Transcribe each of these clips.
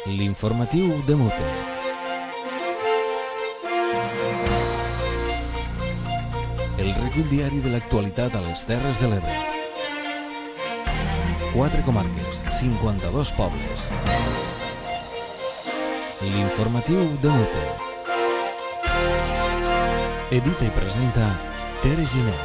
L'informatiu de Mute. El recull diari de l'actualitat a les Terres de l'Ebre. 4 comarques, 52 pobles. L'informatiu de Mute. Edita i presenta Tere Giner.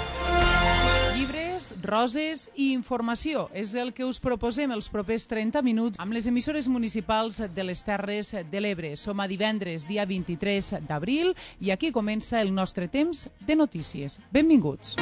Roses i informació és el que us proposem els propers 30 minuts amb les emissores municipals de les Terres de l'Ebre. Som a divendres, dia 23 d'abril, i aquí comença el nostre temps de notícies. Benvinguts.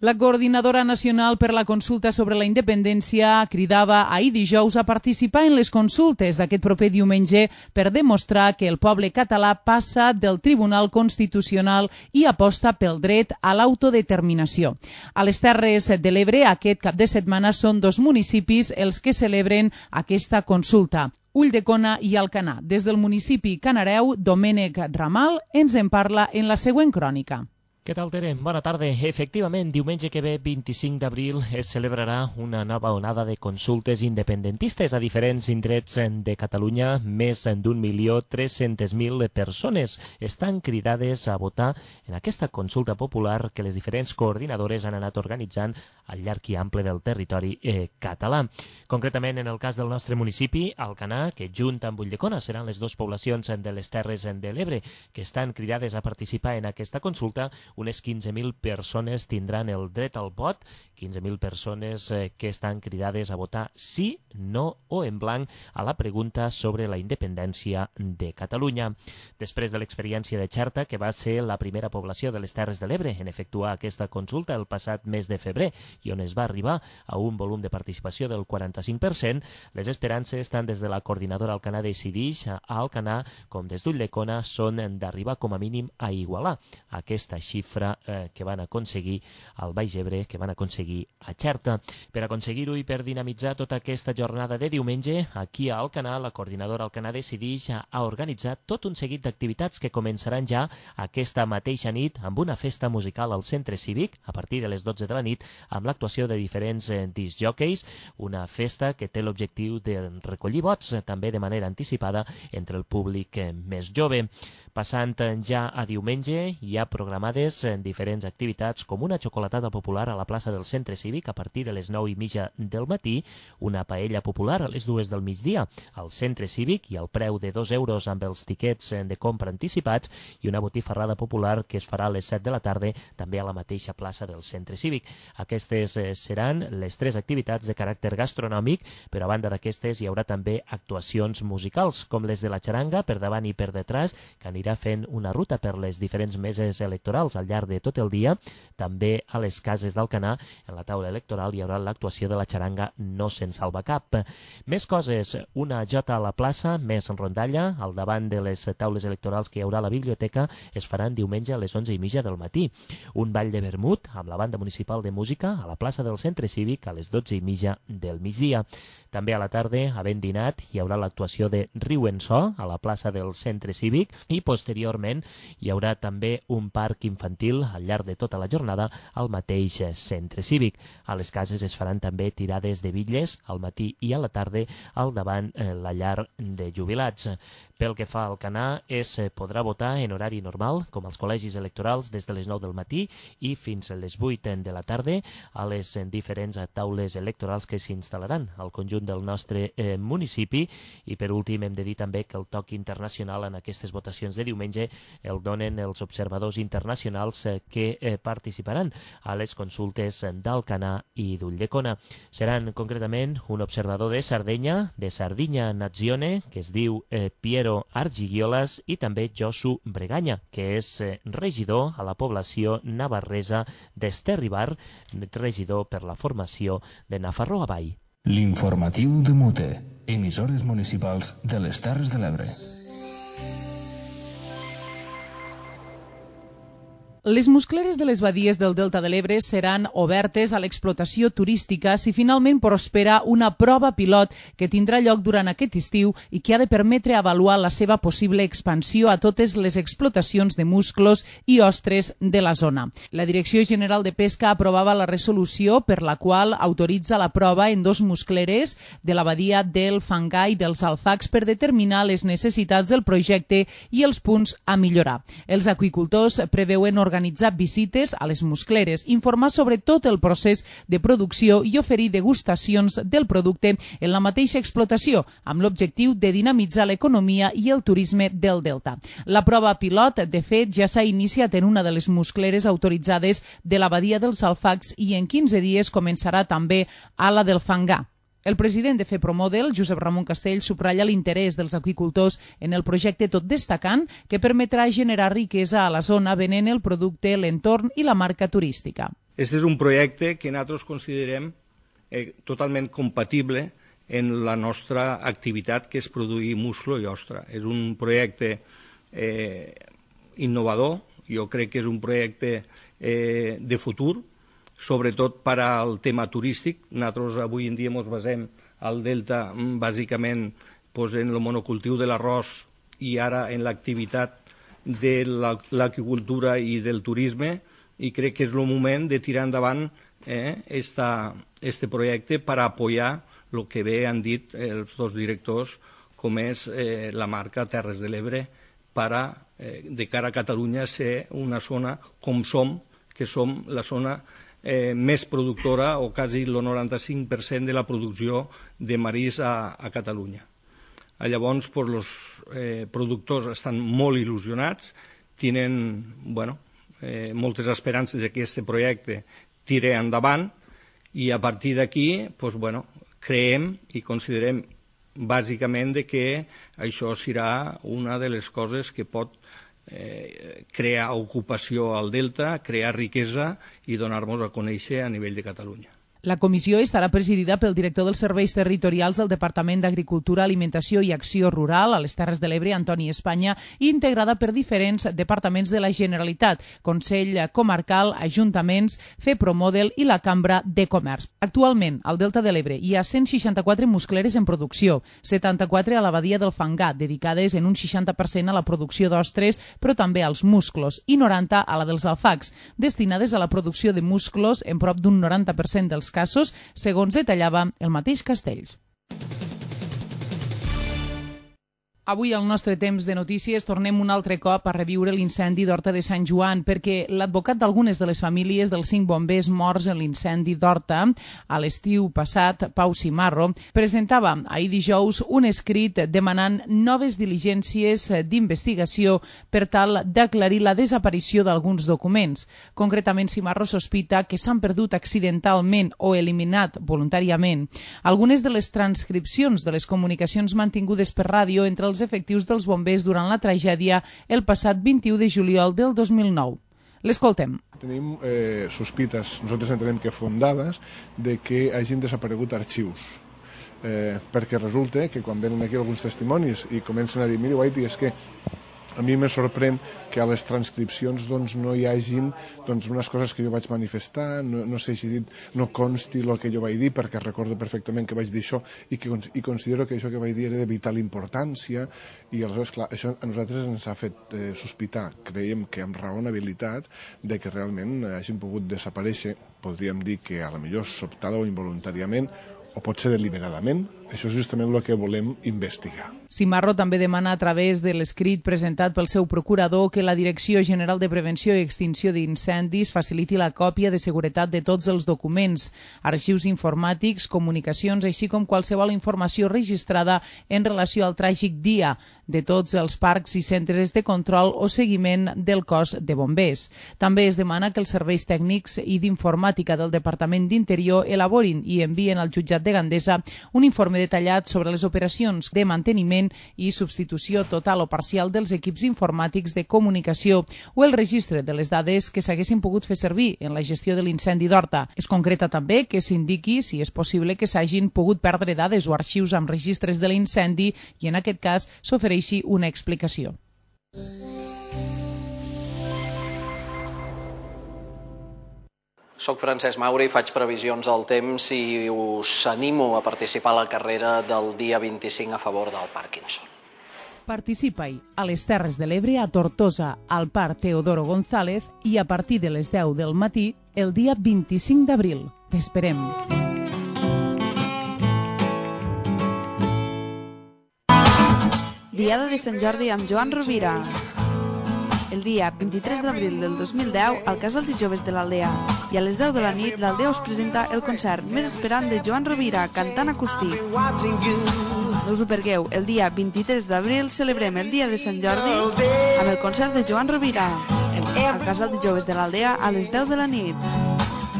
La Coordinadora Nacional per la Consulta sobre la Independència cridava ahir dijous a participar en les consultes d'aquest proper diumenge per demostrar que el poble català passa del Tribunal Constitucional i aposta pel dret a l'autodeterminació. A les Terres de l'Ebre, aquest cap de setmana són 2 municipis els que celebren aquesta consulta: Ulldecona i Alcanar. Des del municipi canareu, Domènec Ramal ens en parla en la següent crònica. Què tal, Tere? Bona tarda. Efectivament, diumenge que ve, 25 d'abril, es celebrarà una nova onada de consultes independentistes a diferents indrets de Catalunya. Més d'1.300.000 persones estan cridades a votar en aquesta consulta popular que les diferents coordinadores han anat organitzant al llarg i ample del territori català. Concretament, en el cas del nostre municipi, Alcanar, que junt amb Ulldecona seran les 2 poblacions de les Terres de l'Ebre que estan cridades a participar en aquesta consulta, unes 15.000 persones tindran el dret al vot, 15.000 persones que estan cridades a votar sí, no o en blanc a la pregunta sobre la independència de Catalunya. Després de l'experiència de Xerta, que va ser la primera població de les Terres de l'Ebre en efectuar aquesta consulta el passat mes de febrer i on es va arribar a un volum de participació del 45%, les esperances tant des de la coordinadora Alcanar Decidix a Alcanar com des d'Ulldecona són d'arribar com a mínim a igualar aquesta xifra que van aconseguir al Baix Ebre, que van aconseguir a Xerta. Per aconseguir-ho i per dinamitzar tota aquesta jornada de diumenge, aquí a Alcanar, la coordinadora Alcanar Decidix ha organitzat tot un seguit d'activitats que començaran ja aquesta mateixa nit amb una festa musical al centre cívic a partir de les 12 de la nit amb l'actuació de diferents discjòqueis, una festa que té l'objectiu de recollir vots també de manera anticipada entre el públic més jove. Passant ja a diumenge, hi ha programades diferents activitats com una xocolatada popular a la plaça del centre cívic a partir de les 9:30 del matí, una paella popular a les 2 del migdia al centre cívic i al preu de 2 euros amb els tiquets de compra anticipats, i una botifarrada popular que es farà a les 7 de la tarda també a la mateixa plaça del centre cívic. Aquestes seran les 3 activitats de caràcter gastronòmic, però a banda d'aquestes hi haurà també actuacions musicals com les de la xaranga per davant i per detrás, que anirà fent una ruta per les diferents meses electorals al llarg de tot el dia. També a les cases d'Alcanar, en la taula electoral, hi haurà l'actuació de la xaranga No se'n salva cap. Més coses, una jota a la plaça, més rondalla, al davant de les taules electorals que hi haurà a la biblioteca, es faran diumenge a les 11:30 del matí. Un ball de vermut amb la banda municipal de música a la plaça del centre cívic a les 12:30 del migdia. També a la tarda, havent dinat, hi haurà l'actuació de Riu en So a la plaça del centre cívic i posteriorment hi haurà també un parc infantil al llarg de tota la jornada al mateix centre cívic. A les cases es faran també tirades de bitlles al matí i a la tarda al davant la llar de jubilats. Pel que fa al Alcanar, es podrà votar en horari normal, com als col·legis electorals, des de les 9 del matí i fins a les 8 de la tarda a les diferents taules electorals que s'instal·laran al conjunt del nostre municipi. I per últim hem de dir també que el toc internacional en aquestes votacions de diumenge el donen els observadors internacionals que participaran a les consultes d'Alcanar i d'Ulldecona. Seran concretament un observador de Sardenya, de Sardinya Nazione, que es diu Piero Argiguiolas, i també Josu Breganya, que és regidor a la població navarresa d'Esterribar, regidor per la formació de Nafarroa Vall. L'informatiu de Mute. Emissores municipals de les Terres de l'Ebre. Les muscleres de les badies del Delta de l'Ebre seran obertes a l'explotació turística si finalment prospera una prova pilot que tindrà lloc durant aquest estiu i que ha de permetre avaluar la seva possible expansió a totes les explotacions de musclos i ostres de la zona. La Direcció General de Pesca aprovava la resolució per la qual autoritza la prova en 2 muscleres de la badia del Fangar i dels Alfacs per determinar les necessitats del projecte i els punts a millorar. Els aqüicultors preveuen organitzar visites a les muscleres, informar sobre tot el procés de producció i oferir degustacions del producte en la mateixa explotació, amb l'objectiu de dinamitzar l'economia i el turisme del Delta. La prova pilot, de fet, ja s'ha iniciat en una de les muscleres autoritzades de la badia dels Alfacs i en 15 dies començarà també a la del Fangar. El president de FEPROMODEL, Josep Ramon Castell, subratlla l'interès dels aqüicultors en el projecte, tot destacant que permetrà generar riquesa a la zona venent el producte, l'entorn i la marca turística. Este és un projecte que nosaltres considerem totalment compatible en la nostra activitat, que és produir musclo i ostra. És un projecte innovador, jo crec que és un projecte de futur, sobretot per al tema turístic. Nosaltres avui en dia ens basem al Delta bàsicament en el monocultiu de l'arròs i ara en l'activitat de l'aqüicultura i del turisme, i crec que és el moment de tirar endavant este projecte per apoyar el que bé han dit els 2 directors, com és la marca Terres de l'Ebre, de cara a Catalunya ser una zona com som, que som la zona més productora, o quasi el 95% de la producció de marisc a Catalunya. Llavors, els productors estan molt il·lusionats, tenen moltes esperances que aquest projecte tire endavant, i a partir d'aquí creiem i considerem bàsicament que això serà una de les coses que pot crear ocupació al Delta, crear riquesa i donar-nos a conèixer a nivell de Catalunya. La comissió estarà presidida pel director dels Serveis Territorials del Departament d'Agricultura, Alimentació i Acció Rural a les Terres de l'Ebre, Antoni Espanya, i integrada per diferents departaments de la Generalitat, Consell Comarcal, Ajuntaments, FEPROMODEL i la Cambra de Comerç. Actualment, al Delta de l'Ebre hi ha 164 muscleres en producció, 74 a la badia del Fangar, dedicades en un 60% a la producció d'ostres, però també als musclos, i 90 a la dels Alfacs, destinades a la producció de musclos en prop d'un 90% dels casos, segons detallava el mateix Castells. Avui, al nostre temps de notícies, tornem un altre cop a reviure l'incendi d'Horta de Sant Joan, perquè l'advocat d'algunes de les famílies dels 5 bombers morts en l'incendi d'Horta a l'estiu passat, Pau Cimarro, presentava ahir dijous un escrit demanant noves diligències d'investigació per tal d'aclarir la desaparició d'alguns documents. Concretament, Cimarro sospita que s'han perdut accidentalment o eliminat voluntàriament algunes de les transcripcions de les comunicacions mantingudes per ràdio entre els efectius dels bombers durant la tragèdia el passat 21 de juliol del 2009. L'escoltem. Tenim sospites, nosaltres entenem que fundades, de que hagin desaparegut arxius. Perquè resulta que quan venen aquí alguns testimonis i comencen a dir, mira, Guaiti, és que a mi me sorprèn que a les transcripcions no hi hagin unes coses que jo vaig manifestar, no s'hagi dit, no consti el que jo vaig dir, perquè recordo perfectament que vaig dir això i considero que això que vaig dir era de vital importància, i aleshores, clar, això a nosaltres ens ha fet sospitar, creiem que amb raonabilitat, de que realment hagin pogut desaparèixer, podríem dir que a la millor sobtada o involuntàriament, o pot ser deliberadament. Això és justament el que volem investigar. Cimarro també demana a través de l'escrit presentat pel seu procurador que la Direcció General de Prevenció i Extinció d'Incendis faciliti la còpia de seguretat de tots els documents, arxius informàtics, comunicacions, així com qualsevol informació registrada en relació al tràgic dia de tots els parcs i centres de control o seguiment del cos de bombers. També es demana que els serveis tècnics i d'informàtica del Departament d'Interior elaborin i envien al jutjat de Gandesa un informe detallat sobre les operacions de manteniment i substitució total o parcial dels equips informàtics de comunicació o el registre de les dades que s'haguessin pogut fer servir en la gestió de l'incendi d'Horta. Es concreta també que s'indiqui si és possible que s'hagin pogut perdre dades o arxius amb registres de l'incendi i en aquest cas s'ofereixi una explicació. Soc Francesc Mauri, faig previsions al temps i us animo a participar a la carrera del dia 25 a favor del Parkinson. Participa-hi a les Terres de l'Ebre, a Tortosa, al Parc Teodoro González i a partir de les 10 del matí el dia 25 d'abril. T'esperem. Diada de Sant Jordi amb Joan Rovira. El dia 23 d'abril del 2010 al Casal de Joves de l'Aldea. I a les 10 de la nit l'Aldea us presenta el concert més esperant de Joan Rovira, cantant acústic. No us ho pergueu, el dia 23 d'abril celebrem el dia de Sant Jordi amb el concert de Joan Rovira al Casal de Joves de l'Aldea a les 10 de la nit.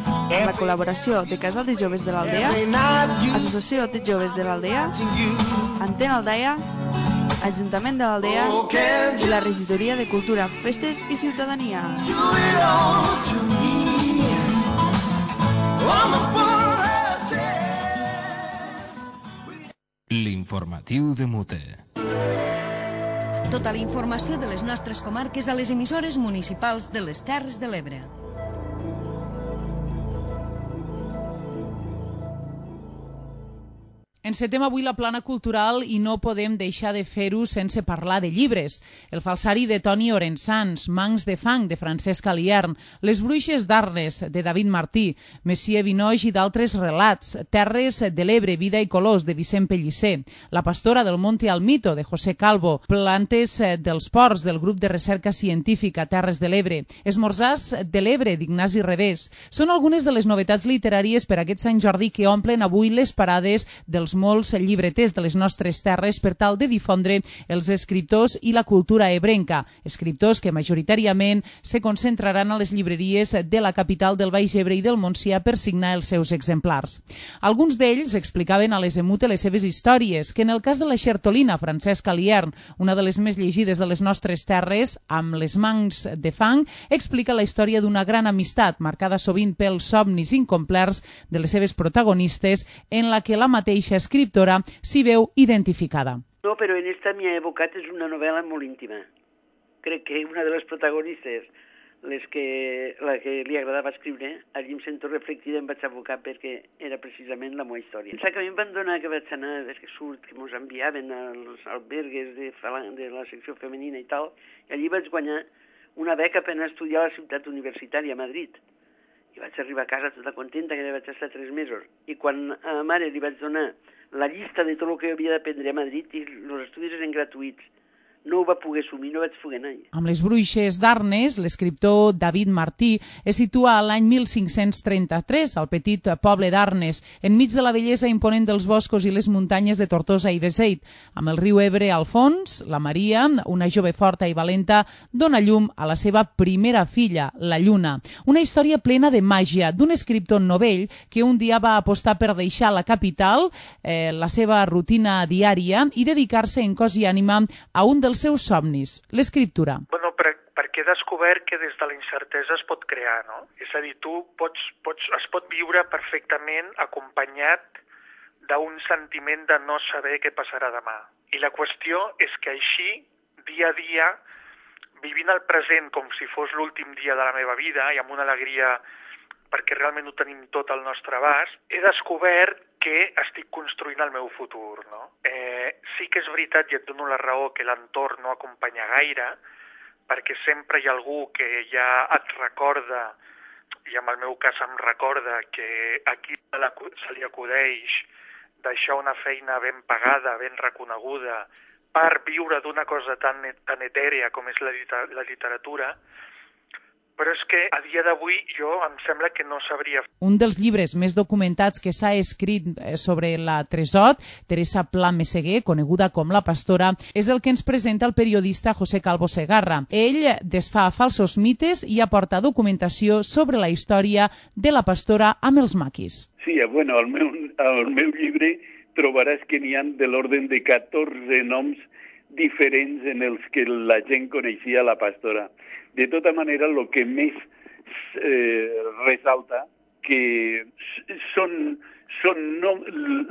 Amb la col·laboració de Casal de Joves de l'Aldea, Associació de Joves de l'Aldea, Antena Aldea, Ajuntament de l'Aldea i la Regidoria de Cultura, Festes i Ciutadania. L'informatiu de Mute. Tota la informació de les nostres comarques a les emissores municipals de les Terres de l'Ebre. Encetem avui la plana cultural i no podem deixar de fer-ho sense parlar de llibres. El falsari de Toni Orensans, Mancs de fang, de Francesc Aliern, Les bruixes d'Arnes, de David Martí, Messier Vinoix i d'altres relats, Terres de l'Ebre, Vida i colors, de Vicent Pellicer, La pastora del Monte Almito, de José Calvo, Plantes dels ports, del grup de recerca científica Terres de l'Ebre, Esmorzars de l'Ebre, d'Ignasi Revés. Són algunes de les novetats literàries per aquest Sant Jordi que omplen avui les parades dels molts llibreters de les nostres terres per tal de difondre els escriptors i la cultura ebrenca, escriptors que majoritàriament se concentraran a les llibreries de la capital del Baix Ebre i del Montsià per signar els seus exemplars. Alguns d'ells explicaven a les Emute les seves històries, que en el cas de la xertolina Francesc Aliern, una de les més llegides de les nostres terres, amb Les Mancs de fang, explica la història d'una gran amistat, marcada sovint pels somnis incomplerts de les seves protagonistes, en la que la mateixa escriptora s'hi veu identificada. No, però en esta m'hi he evocat, és una novel·la molt íntima. Crec que una de les protagonistes, la que li agradava escriure, allí em sento reflectida, em vaig abocar perquè era precisament la meva història. Pensar que a mi em van donar que vaig anar, des que surt, que mos enviaven als albergues de la secció femenina i tal, i allí vaig guanyar una beca per anar a estudiar a la ciutat universitària a Madrid. I vaig arribar a casa tota contenta, que vaig estar 3 mesos. I quan a ma mare li vaig donar la llista de tot el que havia d'aprendre a Madrid, i els estudis eren gratuïts, no ho va poder assumir, no vaig poder anar. Amb Les bruixes d'Arnes, l'escriptor David Martí es situa a l'any 1533 al petit poble d'Arnes, enmig de la bellesa imponent dels boscos i les muntanyes de Tortosa i Beseit. Amb el riu Ebre al fons, la Maria, una jove forta i valenta, dona llum a la seva primera filla, la Lluna. Una història plena de màgia d'un escriptor novell que un dia va apostar per deixar la capital, la seva rutina diària, i dedicar-se en cos i ànima a un dels seus somnis, l'escriptura. Bueno, perquè he descobert que des de la incertesa es pot crear, no? És a dir, es pot viure perfectament acompanyat d'un sentiment de no saber què passarà demà. I la qüestió és que així, dia a dia, vivint el present com si fos l'últim dia de la meva vida i amb una alegria perquè realment ho tenim tot al nostre abast, he descobert que estic construint el meu futur, no? Sí que és veritat, i et dono la raó, que l'entorn no acompanya gaire, perquè sempre hi ha algú que ja et recorda, i en el meu cas em recorda, que aquí se li acudeix deixar una feina ben pagada, ben reconeguda, per viure d'una cosa tan etèrea com és la literatura. Però és que a dia d'avui jo em sembla que no sabria. Un dels llibres més documentats que s'ha escrit sobre la Tresot, Teresa Pla Meseguer, coneguda com La pastora, és el que ens presenta el periodista José Calvo Segarra. Ell desfà falsos mites i aporta documentació sobre la història de la pastora amb els maquis. Sí, bueno, al meu llibre trobaràs que n'hi ha de l'ordre de 14 noms diferents en els que la gent coneixia la pastora. De tota manera, el que més ressalta que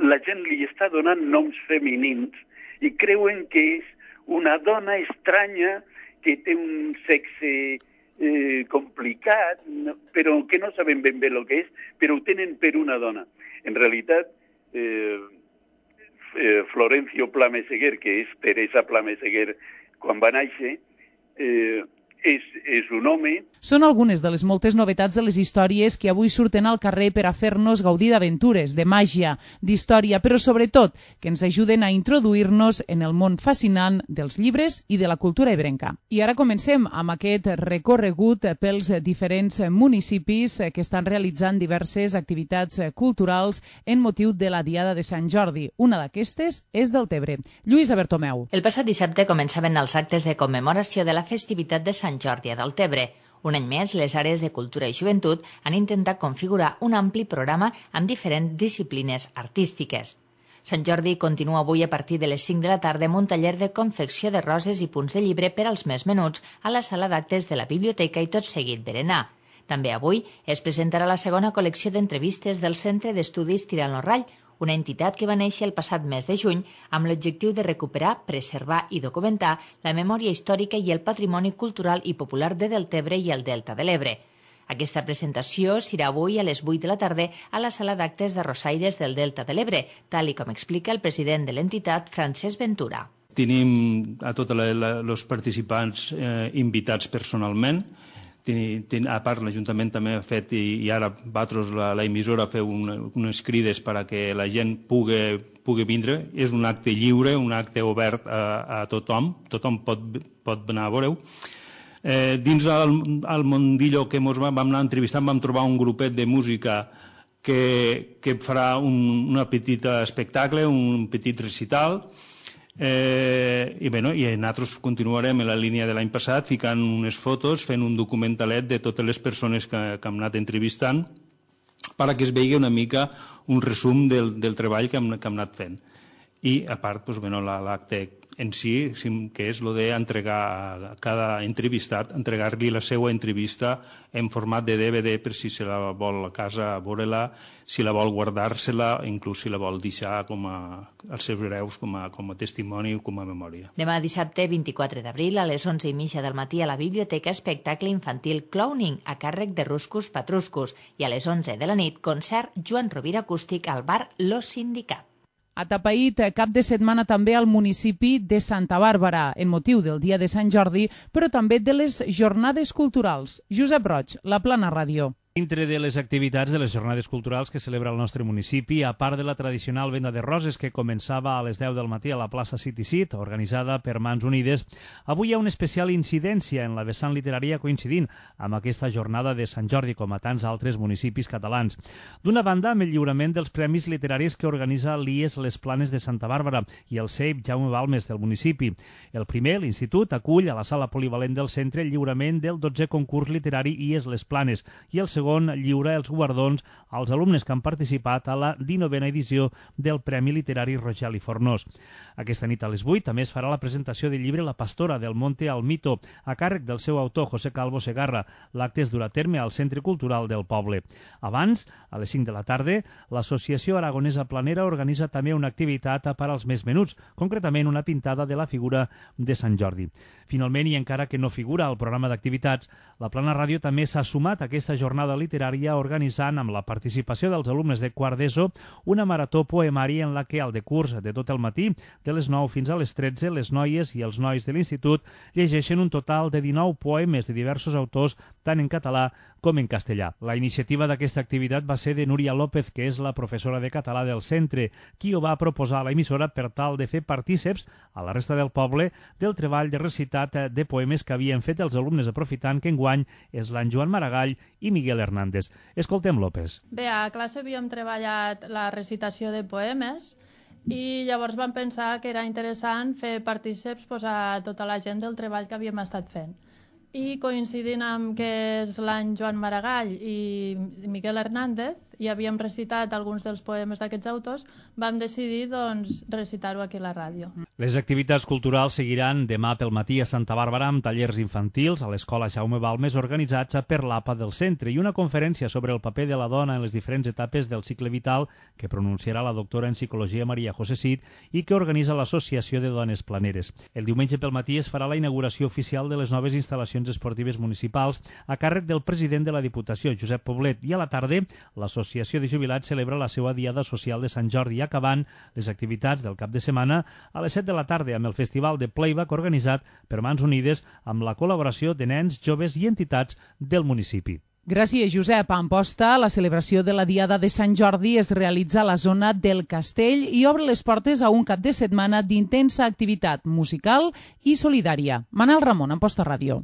la gent li està donant noms femenins i creuen que és una dona estranya que té un sexe complicat, però que no sabem ben bé el que és, però ho tenen per una dona. En realitat, Florencio Pla Meseguer, que és Teresa Pla Meseguer quan va néixer, és un home. Són algunes de les moltes novetats de les històries que avui surten al carrer per a fer-nos gaudir d'aventures, de màgia, d'història, però sobretot que ens ajuden a introduir-nos en el món fascinant dels llibres i de la cultura ebrenca. I ara comencem amb aquest recorregut pels diferents municipis que estan realitzant diverses activitats culturals en motiu de la Diada de Sant Jordi. Una d'aquestes és Deltebre. Lluïsa Bertomeu. El passat dissabte començaven els actes de commemoració de la festivitat de Sant Jordi a Deltebre. Un any més, les àrees de cultura i joventut han intentat configurar un ampli programa amb diferents disciplines artístiques. Sant Jordi continua avui a partir de les 5 de la tarda amb un taller de confecció de roses i punts de llibre per als més menuts a la sala d'actes de la biblioteca i tot seguit berenar. També avui es presentarà la segona col·lecció d'entrevistes del Centre d'Estudis Tirant lo Rall, una entitat que va néixer el passat mes de juny amb l'objectiu de recuperar, preservar i documentar la memòria històrica i el patrimoni cultural i popular de Deltebre i el Delta de l'Ebre. Aquesta presentació serà avui a les 8 de la tarda a la sala d'actes de Rosaires del Delta de l'Ebre, tal com explica el president de l'entitat, Francesc Ventura. Tenim a tots els participants invitats personalment. A part, l'Ajuntament també ha fet, i ara vosaltres, l'emissora, feu unes crides perquè la gent pugui vindre. És un acte lliure, un acte obert a tothom. Tothom pot anar a veure-ho. Dins el mundillo que ens vam anar entrevistant vam trobar un grupet de música que farà un petit espectacle, un petit recital. I nosaltres continuarem en la línia de l'any passat ficant unes fotos, fent un documentalet de totes les persones que hem anat entrevistant perquè es vegi una mica un resum del treball que hem anat fent. I a part l'acte en si, que és el d'entregar a cada entrevistat, entregar-li la seva entrevista en format de DVD per si se la vol a casa veure-la, si la vol guardar-se-la, inclús si la vol deixar als seus hereus com a testimoni o com a memòria. Demà dissabte 24 d'abril a les 11:30 del matí a la biblioteca espectacle infantil Clowning a càrrec de Ruscus Patruscus i a les 11 de la nit concert Joan Rovira acústic al bar Lo Sindicat. Atapeït cap de setmana també al municipi de Santa Bàrbara, en motiu del Dia de Sant Jordi, però també de les jornades culturals. Josep Roig, La Plana Ràdio. Dintre de les activitats de les jornades culturals que celebra el nostre municipi, a part de la tradicional venda de roses que començava a les 10 del matí a la plaça City Seat, organitzada per Mans Unides, avui hi ha una especial incidència en la vessant literària coincidint amb aquesta jornada de Sant Jordi, com a tants altres municipis catalans. D'una banda, amb el lliurament dels premis literaris que organitza l'IES Les Planes de Santa Bàrbara i el CEIP Jaume Balmes del municipi. El primer, l'Institut, acull a la sala polivalent del centre el lliurament del 12è concurs literari IES Les Planes i el segon lliura els guardons als alumnes que han participat a la 19a edició del Premi Literari Rogel i Fornós. Aquesta nit a les 8 també es farà la presentació del llibre La Pastora del Monte al Mito, a càrrec del seu autor, José Calvo Segarra. L'acte es durà a terme al Centre Cultural del poble. Abans, a les 5 de la tarda, l'Associació Aragonesa Planera organitza també una activitat per als més menuts, concretament una pintada de la figura de Sant Jordi. Finalment, i encara que no figura al programa d'activitats, la Plana Ràdio també s'ha sumat a aquesta jornada literària organitzant, amb la participació dels alumnes de quart d'ESO, una marató poemari en la que al decurs de tot el matí, de les 9 fins a les 13, les noies i els nois de l'institut llegeixen un total de 19 poemes de diversos autors, tant en català com en castellà. La iniciativa d'aquesta activitat va ser de Núria López, que és la professora de català del centre, qui ho va proposar a l'emissora per tal de fer partíceps a la resta del poble del treball de recitat de poemes que havien fet els alumnes, aprofitant que enguany és l'any Joan Maragall i Miguel Hernández. Escoltem López. Bé, a classe havíem treballat la recitació de poemes i llavors vam pensar que era interessant fer partíceps a tota la gent del treball que havíem estat fent. I coincidint amb que és l'any Joan Maragall i Miguel Hernández, ja havíem recitat alguns dels poemes d'aquests autors, vam decidir recitar-ho aquí a la ràdio. Les activitats culturals seguiran demà pel matí a Santa Bàrbara amb tallers infantils a l'Escola Jaume Balmes organitzats per l'APA del centre i una conferència sobre el paper de la dona en les diferents etapes del cicle vital que pronunciarà la doctora en Psicologia Maria José Cid i que organitza l'Associació de Dones Planeres. El diumenge pel matí es farà la inauguració oficial de les noves instal·lacions esportives municipals a càrrec del president de la Diputació, Josep Poblet, i a la tarda l'Associació de Jubilats celebra la seva Diada Social de Sant Jordi, acabant les activitats del cap de setmana a les 7 de la tarda amb el Festival de Playback organitzat per Mans Unides amb la col·laboració de nens, joves i entitats del municipi. Gràcies, Josep. A Amposta, la celebració de la Diada de Sant Jordi es realitza a la zona del Castell i obre les portes a un cap de setmana d'intensa activitat musical i solidària. Manel Ramon, Amposta Ràdio.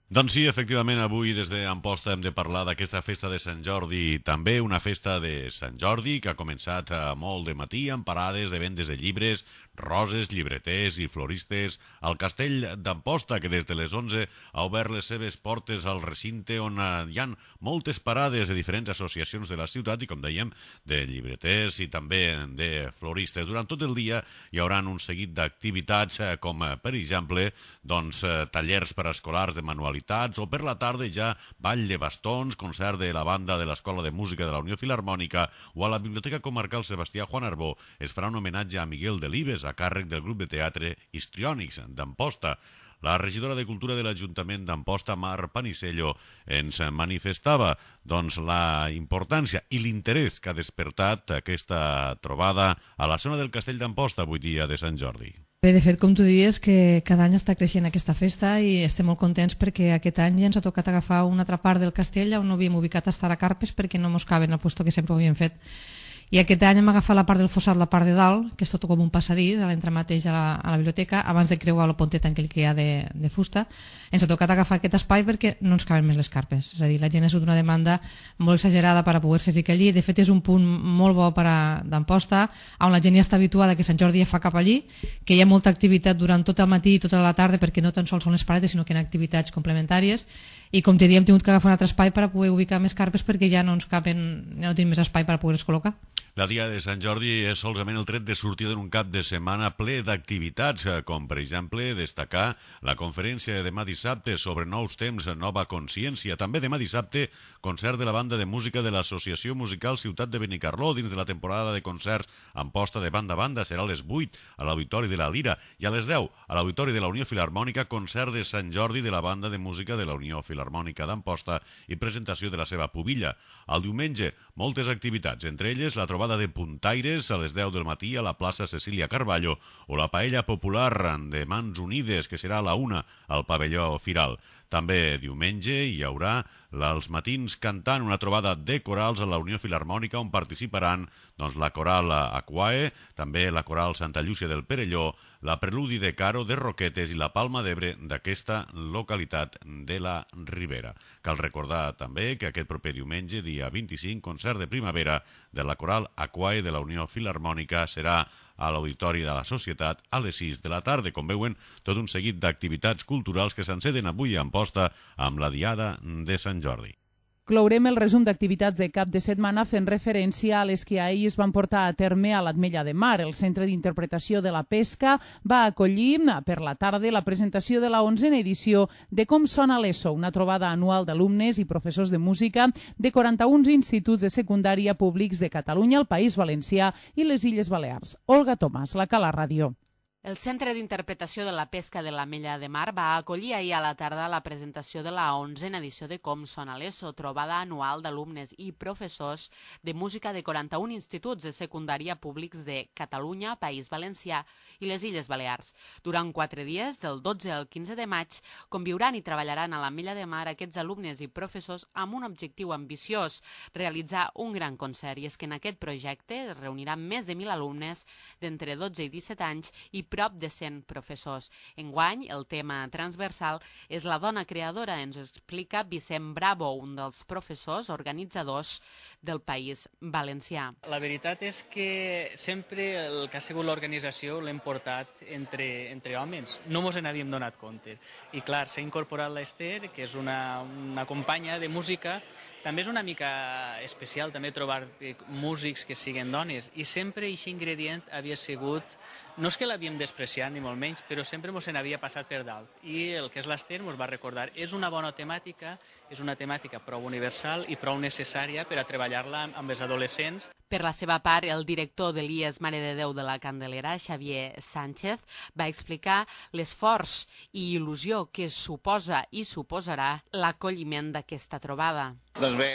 Doncs sí, efectivament, avui des d'Amposta hem de parlar d'aquesta festa de Sant Jordi, també una festa de Sant Jordi que ha començat molt de matí amb parades de vendes de llibres, roses, llibreters i floristes al Castell d'Amposta, que des de les 11 ha obert les seves portes al recinte on hi ha moltes parades de diferents associacions de la ciutat i, com dèiem, de llibreters i també de floristes. Durant tot el dia hi haurà un seguit d'activitats com, per exemple, tallers per a escolars de manualitats, o per la tarda ja ball de bastons, concert de la banda de l'Escola de Música de la Unió Filharmònica, o a la Biblioteca Comarcal Sebastià Juan Arbó es farà un homenatge a Miguel Delibes a càrrec del grup de teatre Histriònics d'Amposta. La regidora de Cultura de l'Ajuntament d'Amposta, Mar Panisello, ens manifestava la importància i l'interès que ha despertat aquesta trobada a la zona del Castell d'Amposta avui dia de Sant Jordi. Bé, de fet, com tu dius, que cada any està creixent aquesta festa i estem molt contents perquè aquest any ja ens ha tocat agafar una altra part del castell on no havíem ubicat estar a carpes perquè no mos caben al lloc que sempre ho havíem fet. I aquest any hem agafat la part del fossat, la part de dalt, que és tot com un passadís, a l'entrada mateix a la biblioteca, abans de creuar la ponteta aquell que hi ha de fusta. Ens ha tocat agafar aquest espai perquè no ens caben més les carpes. És a dir, la gent ha sigut una demanda molt exagerada per a poder-se ficar allí. De fet, és un punt molt bo d'Amposta, on la gent ja està habituada que Sant Jordi ja fa cap allí, que hi ha molta activitat durant tot el matí i tota la tarda, perquè no tan sols són les parades, sinó que hi ha activitats complementàries. I com t'he dit, hem tingut que agafar un altre espai per a poder ubicar més carpes perquè ja no ens caben, ja no tenim més espai per a poder-les col·locar. La Diada de Sant Jordi és solament el tret de sortida d'un cap de setmana ple d'activitats, com per exemple destacar la conferència de demà dissabte sobre nous temps, nova consciència. També demà dissabte, concert de la banda de música de l'Associació Musical Ciutat de Benicarló dins de la temporada de concerts Amposta de banda a banda. Serà a les 8 a l'Auditori de la Lira i a les 10 a l'Auditori de la Unió Filharmònica, concert de Sant Jordi de la banda de música de la Unió Filharmònica d'Amposta i presentació de la seva pubilla. El diumenge, moltes activitats, entre elles la trobada de puntaires a les 10 del matí a la plaça Cecília Carballo o la paella popular de Mans Unides, que serà a la 1 al pavelló Firal. També diumenge hi haurà els matins cantant, una trobada de corals a la Unió Filharmònica on participaran la coral Aquae, també la coral Santa Llúcia del Perelló, la Preludi de Caro de Roquetes i la Palma d'Ebre d'aquesta localitat de la Ribera. Cal recordar també que aquest proper diumenge, dia 25, concert de primavera de la coral Aquae de la Unió Filharmònica serà a l'Auditori de la Societat a les 6 de la tarda. Com veuen, tot un seguit d'activitats culturals que s'enceden avui a Amposta amb la Diada de Sant Jordi. Clourem el resum d'activitats de cap de setmana fent referència a les que ahir es van portar a terme a l'Ametlla de Mar. El Centre d'Interpretació de la Pesca va acollir per la tarda la presentació de la 11a edició de Com sona l'ESO, una trobada anual d'alumnes i professors de música de 41 instituts de secundària públics de Catalunya, el País Valencià i les Illes Balears. Olga Tomàs, la Cala Ràdio. El Centre d'Interpretació de la Pesca de l'Ametlla de Mar va acollir ahir a la tarda la presentació de la 11a edició de Com sona l'ESO, trobada anual d'alumnes i professors de música de 41 instituts de secundària públics de Catalunya, País Valencià i les Illes Balears. Durant 4 dies, del 12 al 15 de maig, conviuran i treballaran a l'Ametlla de Mar aquests alumnes i professors amb un objectiu ambiciós, realitzar un gran concert. I és que en aquest projecte es reuniran més de 1.000 alumnes d'entre 12 i 17 anys i prop de 100 professors. Enguany, el tema transversal és la dona creadora, ens ho explica Vicent Bravo, un dels professors organitzadors del País Valencià. La veritat és que sempre el que ha sigut l'organització l'hem portat entre homes. No mos n'havíem donat compte. I clar, s'ha incorporat l'Ester, que és una companya de música, també és una mica especial també trobar músics que siguin dones, i sempre aquest ingredient havia sigut, no és que l'havíem despreciat ni molt menys, però sempre ens n'havia passat per dalt, i el que és l'Ester ens va recordar. És una bona temàtica, és una temàtica prou universal i prou necessària per a treballar-la amb els adolescents. Per la seva part, el director de l'IES Mare de Déu de la Candelera, Xavier Sánchez, va explicar l'esforç i il·lusió que suposa i suposarà l'acolliment d'aquesta trobada. Doncs bé,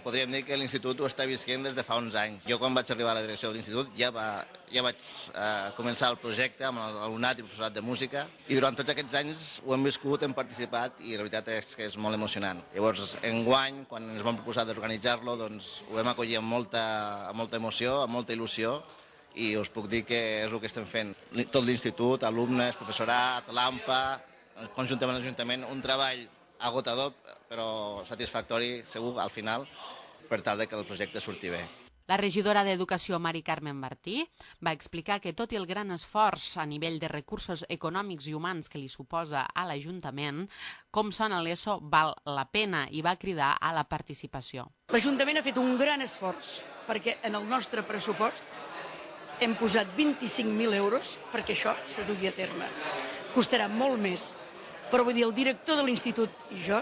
podríem dir que l'Institut ho està visquent des de fa uns anys. Jo quan vaig arribar a la direcció de l'Institut ja vaig començar el projecte amb l'alumnat i el professorat de música, i durant tots aquests anys ho hem viscut, hem participat, i la veritat és que és molt emocionant. Llavors, enguany, quan ens vam proposar d'organitzar-lo, doncs ho vam acollir amb molta emoció, amb molta il·lusió, i us puc dir que és el que estem fent. Tot l'Institut, alumnes, professorat, l'AMPA, conjuntament amb l'Ajuntament, un treball agotador però satisfactori, segur, al final, per tal que el projecte surti bé. La regidora d'Educació, Mari Carmen Martí, va explicar que tot i el gran esforç a nivell de recursos econòmics i humans que li suposa a l'Ajuntament, com sona l'ESO val la pena, i va cridar a la participació. L'Ajuntament ha fet un gran esforç perquè en el nostre pressupost hem posat 25.000 euros perquè això se dugui a terme. Costarà molt més, però vull dir, el director de l'Institut i jo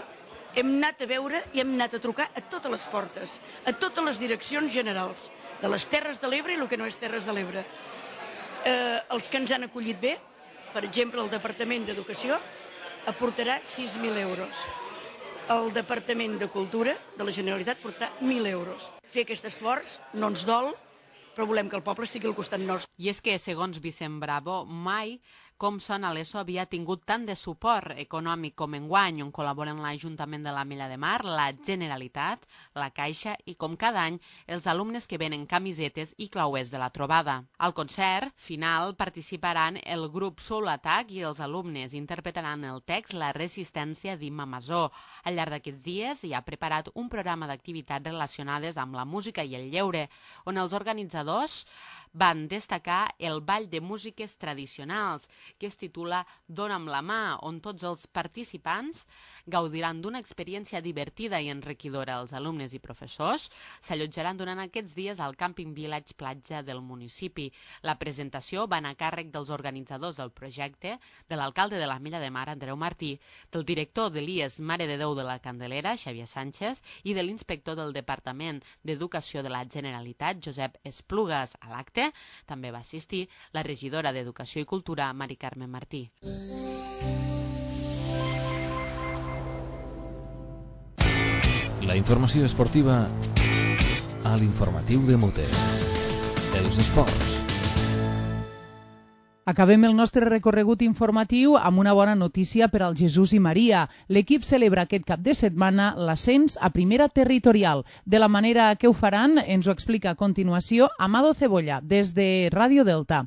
hem anat a veure i hem anat a trucar a totes les portes, a totes les direccions generals, de les Terres de l'Ebre i el que no és Terres de l'Ebre. Els que ens han acollit bé, per exemple, el Departament d'Educació, aportarà 6.000 euros. El Departament de Cultura de la Generalitat aportarà 1.000 euros. Fer aquest esforç no ens dol, però volem que el poble estigui al costat nostre. I és que, segons Vicent Bravo, mai com sona l'ESO havia tingut tant de suport econòmic com enguany, on col·laboren l'Ajuntament de l'Ametlla de Mar, la Generalitat, la Caixa i, com cada any, els alumnes que venen camisetes i clauers de la trobada. Al concert final participaran el grup Soul Attack i els alumnes interpretaran el text La resistència d'Imma Masó. Al llarg d'aquests dies hi ha preparat un programa d'activitats relacionades amb la música i el lleure, on els organitzadors van destacar el ball de músiques tradicionals, que es titula Dóna'm la mà, on tots els participants gaudiran d'una experiència divertida i enriquidora. Els alumnes i professors s'allotjaran durant aquests dies al Camping Village Platja del municipi. La presentació va anar a càrrec dels organitzadors del projecte, de l'alcalde de l'Ametlla de Mar, Andreu Martí, del director de l'IES Mare de Déu de la Candelera, Xavier Sánchez, i de l'inspector del Departament d'Educació de la Generalitat, Josep Esplugues. A l'acte també va assistir la regidora d'Educació i Cultura, Mari Carmen Martí. La informació esportiva a l'informatiu de Mute. Els esports. Acabem el nostre recorregut informatiu amb una bona notícia per al Jesús i Maria. L'equip celebra aquest cap de setmana l'ascens a primera territorial. De la manera que ho faran ens ho explica a continuació Amado Cebolla, des de Ràdio Delta.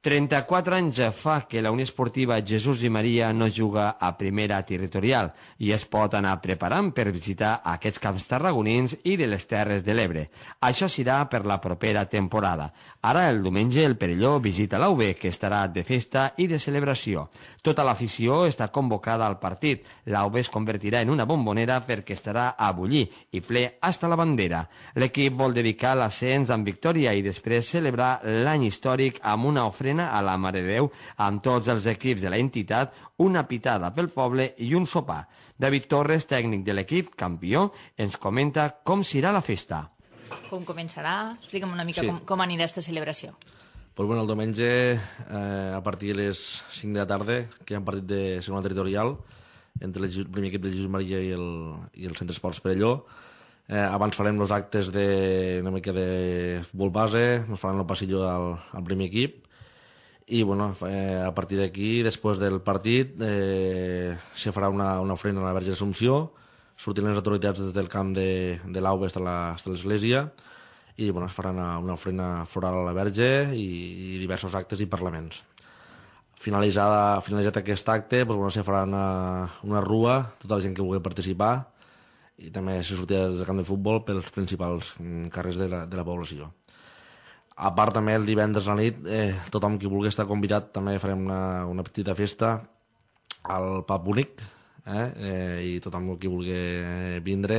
34 anys fa que la Unió Esportiva Jesús i Maria no juga a primera territorial i es pot anar preparant per visitar aquests camps tarragonins i de les Terres de l'Ebre. Això serà per la propera temporada. Ara, el diumenge, el Perelló visita l'UB, que estarà de festa i de celebració. Tota l'afició està convocada al partit. L'UB es convertirà en una bombonera perquè estarà a bullir i ple hasta la bandera. L'equip vol dedicar l'ascens amb victòria i després celebrar l'any històric amb una ofrena a la Mare de Déu amb tots els equips de la entitat, una pitada pel poble i un sopar. David Torres, tècnic de l'equip, campió, ens comenta com serà la festa. Com començarà? Explica'm una mica com anirà aquesta celebració. Pues bueno, el diumenge, a partir de les 5 de la tarda, que hi ha un partit de segona territorial entre el primer equip del Jesús Maria i el Centre Esports Perelló. Abans farem els actes una mica de futbol base, ens faran el passillo al primer equip, i bueno, a partir d'aquí, després del partit, se farà una ofrena a la Verge d'Assumpció, sortiran les autoritats des del camp de l'AUB fins a l'església, i bueno, es farà una ofrena floral a la Verge i diversos actes i parlaments. Finalitzat aquest acte, doncs, bueno, se farà una rua, tota la gent que vulgui participar, i també se sortirà des del camp de futbol pels principals carrers de la població. A part, també, el divendres a la nit, tothom qui vulgui estar convidat, també farem una petita festa al pub únic, i tothom qui vulgui vindre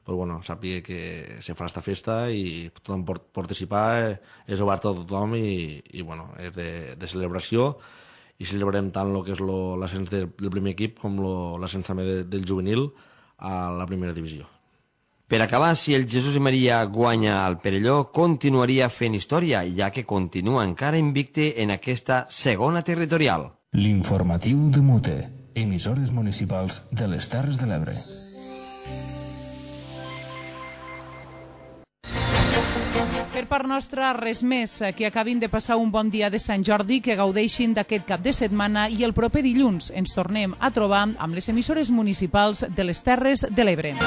però bueno, sàpiga que se farà esta festa i tothom pot participar, és obert a tothom i bueno, és de celebració, i celebrarem tant el que és l'ascens del primer equip com l'ascens també del juvenil a la primera divisió. Per acabar, si el Jesús i Maria guanya al Perelló, continuaria fent història, ja que continua encara invicte en aquesta segona territorial. L'informatiu de Mute, emissores municipals de les Terres de l'Ebre. Per part nostra, res més. Que acabin de passar un bon dia de Sant Jordi, que gaudeixin d'aquest cap de setmana i el proper dilluns ens tornem a trobar amb les emissores municipals de les Terres de l'Ebre.